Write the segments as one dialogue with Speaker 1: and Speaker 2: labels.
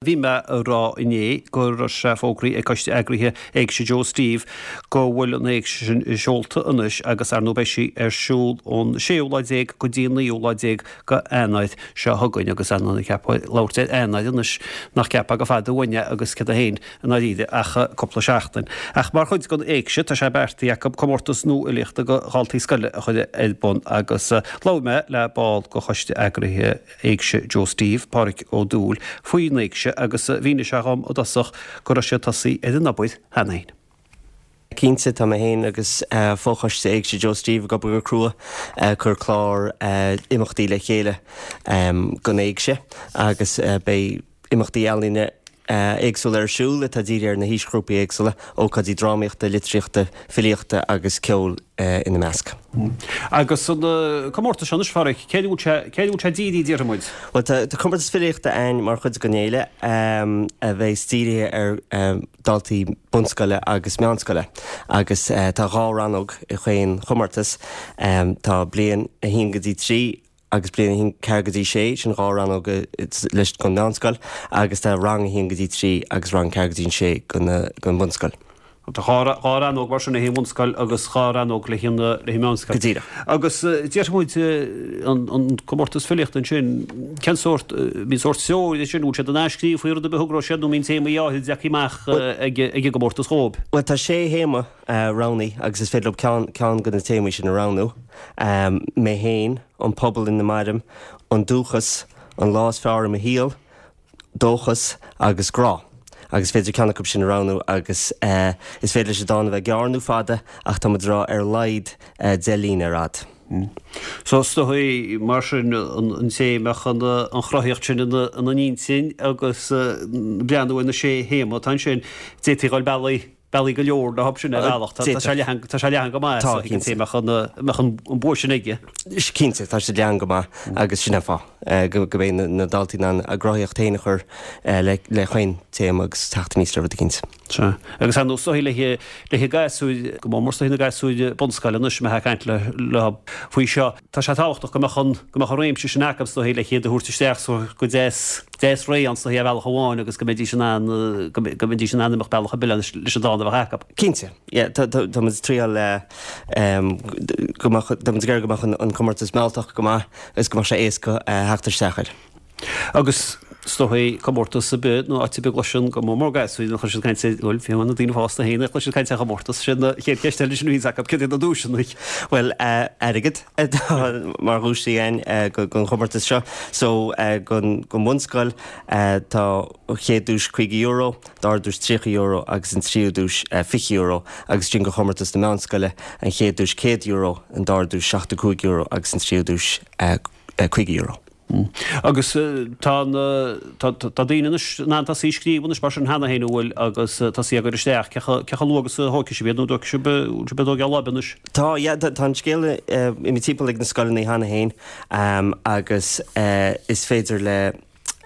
Speaker 1: Bhí mé a rá inné go raibh sé fógraithe ag Coiste Eagraithe Éigse Joe Steve go bhfuil an Éigse sin seolta anois agus ar ndóigh beidh sí ar siúl ón séú lá déag go dtí an naoú lá déag go Eanáir seo chugainn agus ar ndóigh cheapfá ag labhairt ar Eanáir anois nach gceapfá gur fada uainn é agus céard é féin i ndáiríre ach cúpla seachtain. Ach mar chuid den Éigse tá sé beartaithe acu comórtas nua fhilíochta go dhaltaí scoile a chur ar bun agus labhair mé le ball go Choiste Eagraithe Éigse Joe Steve, Pádhraic Ó Dúill, faoin Éigse agus mhínigh sé dhom i dtosach go raibh siad tosaithe ar an obair cheana féin.
Speaker 2: Cinnte, tá mé féin agus fochoiste Éigse Joe Steve ag obair go crua ag cur clár imeachtaí le chéile don Éigse agus beidh imeachtaí ealaíne éagsúla ar siúl atá dírithe ar na haoisghrúpaí éagsúla, ócáidí drámaíochta, litríochta, filíochta agus ceoil ina measc.
Speaker 1: Agus an comórtas seo anois, a Phádhraic, céard a bhfuil sé, céard a bhfuil sé dírithe, déarfaidh muid?
Speaker 2: Bhuel, tá comórtas filíochta ann mar chuid den fhéile a bheas dírithe ar dhaltaí bunscoile agus meánscoile agus tá dhá rannóg i chaon chomórtas. Tá bliain 1 go dtí 3 agus bliain 1, 4 go dtí 6, sin dhá rannóg leis don mheánscoil, agus tá rang 1 go dtí 3 agus rang 4 go dtí 6 don bhunscoil.
Speaker 1: Tá dhá rannóg mar sin le haghaidh an bhunscoil agus dhá rannóg le haghaidh an mheánscoil.
Speaker 2: Go díreach.
Speaker 1: Agus déarfaidh muid an comórtas filíochta ansin, cén sórt, bíonn sórt treoir ansin, bhfuil siad in ann scríobh faoi rud ar bith a thogróidh siad nó mbíonn téamaí áirithe leagtha amach ag an gcomórtas dhóibh?
Speaker 2: Bhuel tá sé théama roghnaithe agus is féidir leo ceann ceann de na téamaí sin a roghnú, mé féin, an pobal ina mairim, an dúchas, an lá is fearr i mo shaol, dóchas agus grá. Agus is féidir ceann acu sin a roghnú agus is féidir leis an dán a bheith gearr nó fada ach tá muid ag rá ar a laghad 10 líne ar fhad.
Speaker 1: So is dóigh mar sin an té a mbeadh an chruthaíocht sin ina n-intinn agus breathnú ar na sé théama atá ansin, d'fhéadfaí dhul bealaí bealaí go leor leo sin ar bhealach. Tá sé leathan, tá sé leathan go maith
Speaker 2: so an
Speaker 1: té a mbeadh an, mbeadh an bua sin aige.
Speaker 2: Cinnte, tá sé leathan go maith agus sin an fáth go go mbeidh na daltaí in ann a gcruthaíocht féin a chur le le chaon téama agus teacht aníos le rud eicínt.
Speaker 1: Sea. Agus ar ndóigh is dóigh le le gasúir, go mór mór is dóigh na gasúir bunscoile anois, mé ag caint le leo faoi seo, tá sé tábhachtach go mbeadh an, go mbeadh an réimse sin acu is dóigh le hiad a thabhairt isteach so go deas, deas réidh ann is dóigh ar bhealach amháin agus go mbeidís in ann, go mbeidís in ann imeacht bealach ar bith leis an dán a bheadh acu.
Speaker 2: Cinnte, yeah, tá, tá, tá muid ag triail go mbeadh, tá muid ag iarraidh go mbeadh an, an comórtas mealltach go maith agus go mbeadh sé éasca theacht isteach air.
Speaker 1: Agus is dóigh comórtas ar bith nó áit ar bith a gcloiseann go mór mór gasúir nuair a chloiseann caint ar, bhuel, fiú na daoine fásta féin a chloiseann caint ar chomórtas, sin an chéad cheist eile sin a bhíonns acu, céard iad na duaiseanna?
Speaker 2: Bhuel, airgead atá mar dhuais againn don chomórtas seo. So, don bhunscoil tá an chéad duais €50, dara duais €30 agus an tríú duais €20 agus ansin do chomórtas na meánscoile an chéad duais €100, an dara duais €75 agus an tríú duais €50.
Speaker 1: Agus tá na, tá, tá daoine anois in ann tosaí ag scríobh anois mar sin cheana féin, an bhfuil, agus tosaí á gcur isteach. Cé chomh, cé chomh luath agus a thógfaidh sibh iad nó an dtógfaidh sibh, bhfuil sibh ag tógáil láibe anois?
Speaker 2: Tá, yeah, tá, tá an scéal imithe timpeall ag na scoileanna cheana féin agus is féidir le,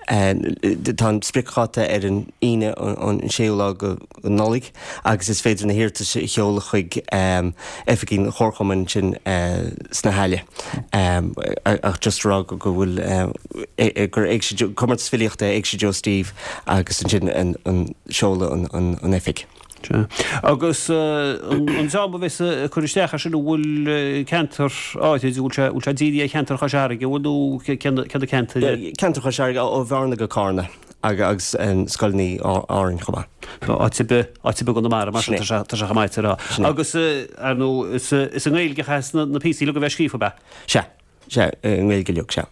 Speaker 2: tá an spriocdháta ar an Aoine an séú lá de Nollaig agus is féidir na hiarratais a sheoladh chuig oifigí an Chomharchumainn ansin sna hAille. Ach just a rá go bhfuil gur Éigse, Comórtas Filíochta Éigse Joe Steve agus ansin an seoladh an oifig.
Speaker 1: Sea. Agus an dream a bheas ag cur isteach air sin, an bhfuil ceantar áirid, an bhfuil sé, bhfuil sé dírithe ar cheantar Chois Fharraige, an bhfuil nó cé na ceantair?
Speaker 2: Ceantar Chois Fharraige, ó Bhearna go Cárna. Agus scoileanna Árainn chomh maith.
Speaker 1: Áit ar bith, áit ar bith i gConamara, mar sin, tá sé, tá sé chomh maith a rá. Agus, ar ndóigh, is, is i nGaeilge a chaithfeas na, na píosaí uilig a bheith scríofa, ab ea?
Speaker 2: Sea, sea, i nGaeilge uilig, sea.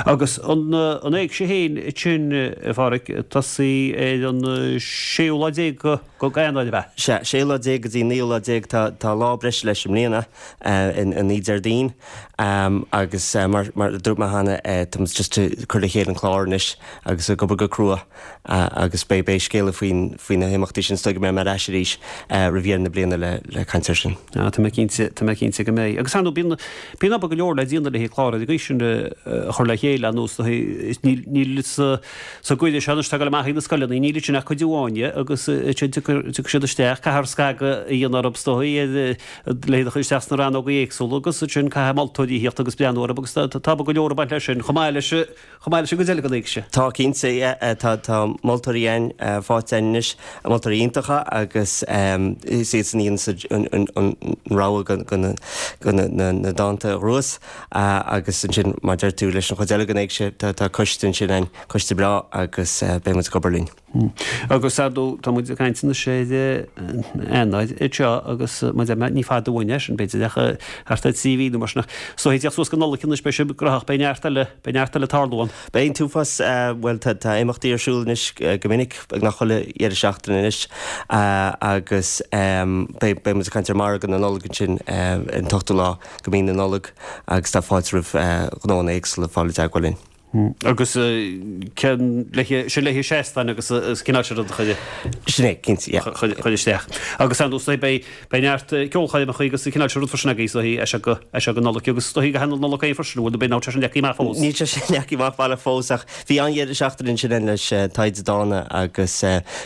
Speaker 1: Agus an, an éigse féin ansin, a Pháraic, ag tosaí ar an séú lá déag go, go Eanáir, ab ea?
Speaker 2: Sea, séú lá déag go dtí an naoú lá déag, tá, tá lá breise leis i mbliana, an oíche Déardaoin, agus mar, mar a dúirt mé cheana, tá muid just ag cur le chéile an clár anois agus ag obair go crua agus beidh, beidh scéala faoin, faoi na himeachtaí sin, is dóigh go mbeidh mé ar ais arís roimh dheireadh na bliana le, le caint air sin.
Speaker 1: Tá mé cinnte, tá mé cinnte go mbeidh. Agus ar ndóigh, bíonn, bíonn obair go leor le déanamh. le haghaidh clár ar an gcaoi sin a chur le chéile ar nós níl níl sa sa gcuireadh seo anois atá ag dul amach ag na scoileanna níl ansin ach cuid amháin dhe agus ansin tiocfaidh tiocfaidh siad isteach caithfear scagadh a dhéanamh orthu is dóigh le hiad a chur isteach sna rannógaí éagsúla agus ansin caithfidh moltóirí a thíocht agus breathnú orthu agus tá go leor ag baint leis sin chomh maith leis chomh maith leis an gcuid eile den éigse.
Speaker 2: Tá cinnte, yeah. Tá tá moltóirí againn faighte againn anois, moltóirí iontacha agus is iadsan a dhéanas an an rogha go go na go na na na dánta a ghnóthós agus ansin mar deir tú leis an chuid eile den éigse tá tá coiste ansin againn, coiste breá agus beidh muid ag obair linn.
Speaker 1: Agus ar ndóigh, tá muid ag caint anois ar Eanáir anseo agus mar a deir mé, ní fada uainn é sin, b'fhéidir ach thart ar 3 mhí nó mar sin ach is dóigh ag tíocht suas go Nollaig anois beidh sibh graitheach, beidh neart eile, beidh neart eile ag tarlú ann.
Speaker 2: Beidh an t-uafás, bhuel tá tá imeachtaí ar siúl anois go minic, beagnach chuile dheireadh seachtaine anois agus beidh beidh muid ag caint ar mhargadh na Nollag ansin ar an t-ochtú lá de mhí na Nollag agus tá fáilte roimh ghnóanna éagsúla fáil i dteagmháil linn.
Speaker 1: Agus cén le sin le seastáin agus is cineál sin rud a chur
Speaker 2: Sin é, cinnte,
Speaker 1: yeah. chur isteach. Agus ar ndóigh beidh beidh neart ceolchoirmeacha agus cineál sin rud freisin agaibh is dóigh as seo go as seo go Nollaig agus is dóigh go hanal Nollag féin freisin bhfuil beidh ná sé sin leagtha amach fós.
Speaker 2: Níl sé sin leagtha amach baileach fós ach bhí an-dheireadh seachtaine ansin againn leis Taighde Dána agus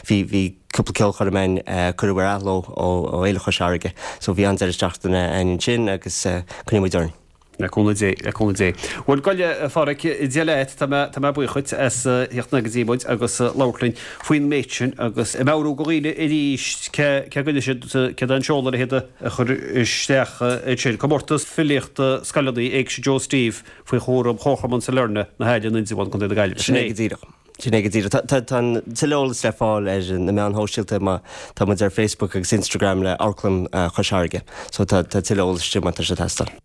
Speaker 2: bhí bhí cúpla ceolchoirm againn cuireadh ar athló ó ó Fhéile Chois Fharraige so bhí an-deireadh seachtaine againn ansin agus coinneoidh muid orainn.
Speaker 1: Le cúnamh Dé, le cúnamh Dé. Bhuel, gabh i leith, a Pháraic, Dia leat, tá mé, tá mé buíoch dhuit as theacht go dtí muid agus labhairt linn faoin méid sin agus ag meabhrú do dhaoine arís cé, cé go siad, céard é an seoladh le hiad a chur isteach ansin. Comórtas Filíochta Scoileanna Éigse Joe Steve faoi chúram Chomharchumann Sailearna, Na hAille, an Indreabhán, Contae na Gaillimhe.
Speaker 2: Sin é go díreach. Sin é go díreach. Tá, tá, tá an tuilleadh eolas le fáil ar na meáin shóisialta má tá muid ar Facebook agus Instagram le Amharclann Chois Fharraige. So tá, tá tuilleadh eolais ansin má tá sé ag teastáil.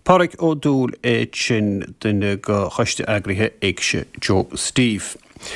Speaker 1: Páraic Ó Dúill é sin, duine de choiste eagraithe Éigse Joe Steve.